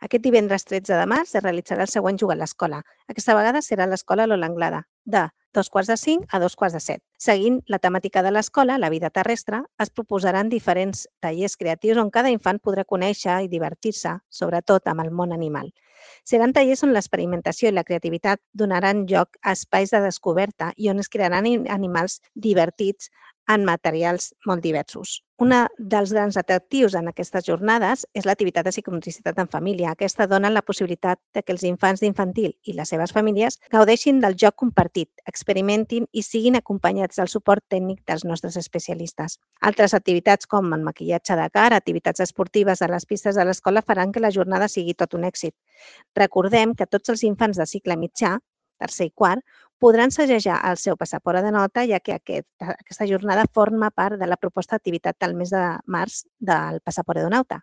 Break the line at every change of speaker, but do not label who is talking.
Aquest divendres 13 de març es realitzarà el següent Juga a l'Escola. Aquesta vegada serà a l'Escola Lola Anglada, de 2:45 a 2:45. Seguint la temàtica de l'escola, la vida terrestre, es proposaran diferents tallers creatius on cada infant podrà conèixer i divertir-se, sobretot amb el món animal. Seran tallers on l'experimentació i la creativitat donaran lloc a espais de descoberta i on es crearan animals divertits en materials molt diversos. Un dels grans atractius en aquestes jornades és l'activitat de psicomotricitat en família. Aquesta dona la possibilitat de que els infants d'infantil i les seves famílies gaudeixin del joc compartit, experimentin i siguin acompanyats del suport tècnic dels nostres especialistes. Altres activitats com el maquillatge de cara, activitats esportives a les pistes de l'escola faran que la jornada sigui tot un èxit. Recordem que tots els infants de cicle mitjà, tercer i quart, podran segellar el seu passaport de nota, ja que aquesta jornada forma part de la proposta d'activitat del mes de març del passaport de nota.